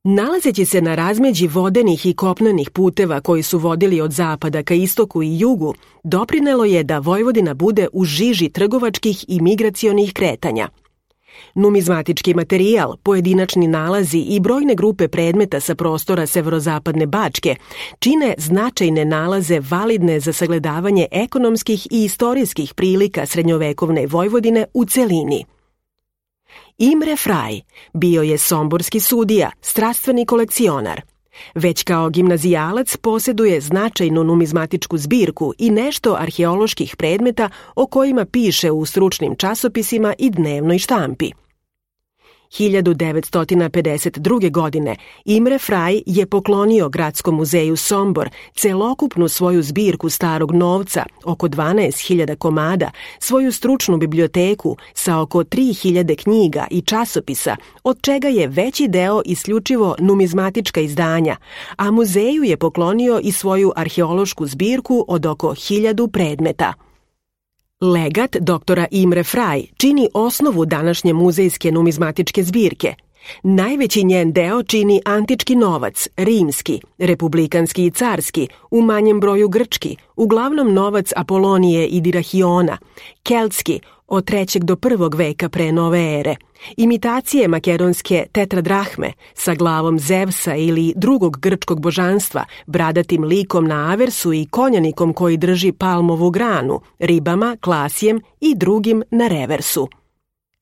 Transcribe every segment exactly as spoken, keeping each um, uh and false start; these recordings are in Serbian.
Nalazeći se na razmeđi vodenih i kopnenih puteva koji su vodili od zapada ka istoku i jugu, doprinelo je da Vojvodina bude u žiži trgovačkih i migracionih kretanja. Numizmatički materijal, pojedinačni nalazi i brojne grupe predmeta sa prostora severozapadne Bačke čine značajne nalaze validne za sagledavanje ekonomskih i istorijskih prilika srednjovekovne Vojvodine u celini. Imre Fraj bio je somborski sudija, strastveni kolekcionar. Već kao gimnazijalac posjeduje značajnu numizmatičku zbirku i nešto arheoloških predmeta o kojima piše u stručnim časopisima i dnevnoj štampi. hiljadu devetsto pedeset druge. godine Imre Fraj je poklonio Gradskom muzeju Sombor celokupnu svoju zbirku starog novca, oko dvanaest hiljada komada, svoju stručnu biblioteku sa oko tri hiljade knjiga i časopisa, od čega je veći deo isključivo numizmatička izdanja, a muzeju je poklonio i svoju arheološku zbirku od oko hiljadu predmeta. Legat doktora Imre Fraj čini osnovu današnje muzejske numizmatičke zbirke. Najveći njen deo čini antički novac, rimski, republikanski i carski, u manjem broju grčki, uglavnom novac Apolonije i Dirahiona, keltski, od trećeg do prvog veka pre nove ere, imitacije makedonske tetradrahme sa glavom Zevsa ili drugog grčkog božanstva, bradatim likom na aversu i konjanikom koji drži palmovu granu, ribama, klasijem i drugim na reversu.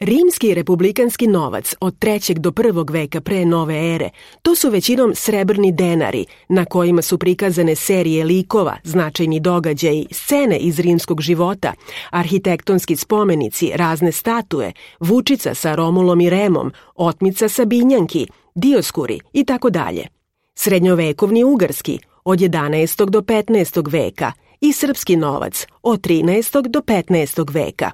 Rimski republikanski novac od trećeg do prvog veka pre nove ere, to su većinom srebrni denari, na kojima su prikazane serije likova, značajni događaji, scene iz rimskog života, arhitektonski spomenici, razne statue, vučica sa Romulom i Remom, otmica sa Binjanki, Dioskuri i tako dalje. Srednjovekovni ugarski od jedanaestog do petnaestog veka i srpski novac od trinaestog do petnaestog veka.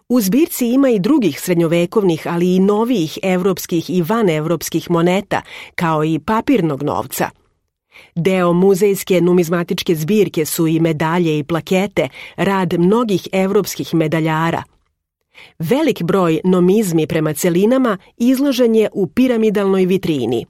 U zbirci ima i drugih srednjovekovnih, ali i novijih evropskih i vanevropskih moneta, kao i papirnog novca. Deo muzejske numizmatičke zbirke su i medalje i plakete, rad mnogih evropskih medaljara. Velik broj nomizmi prema celinama izložen je u piramidalnoj vitrini.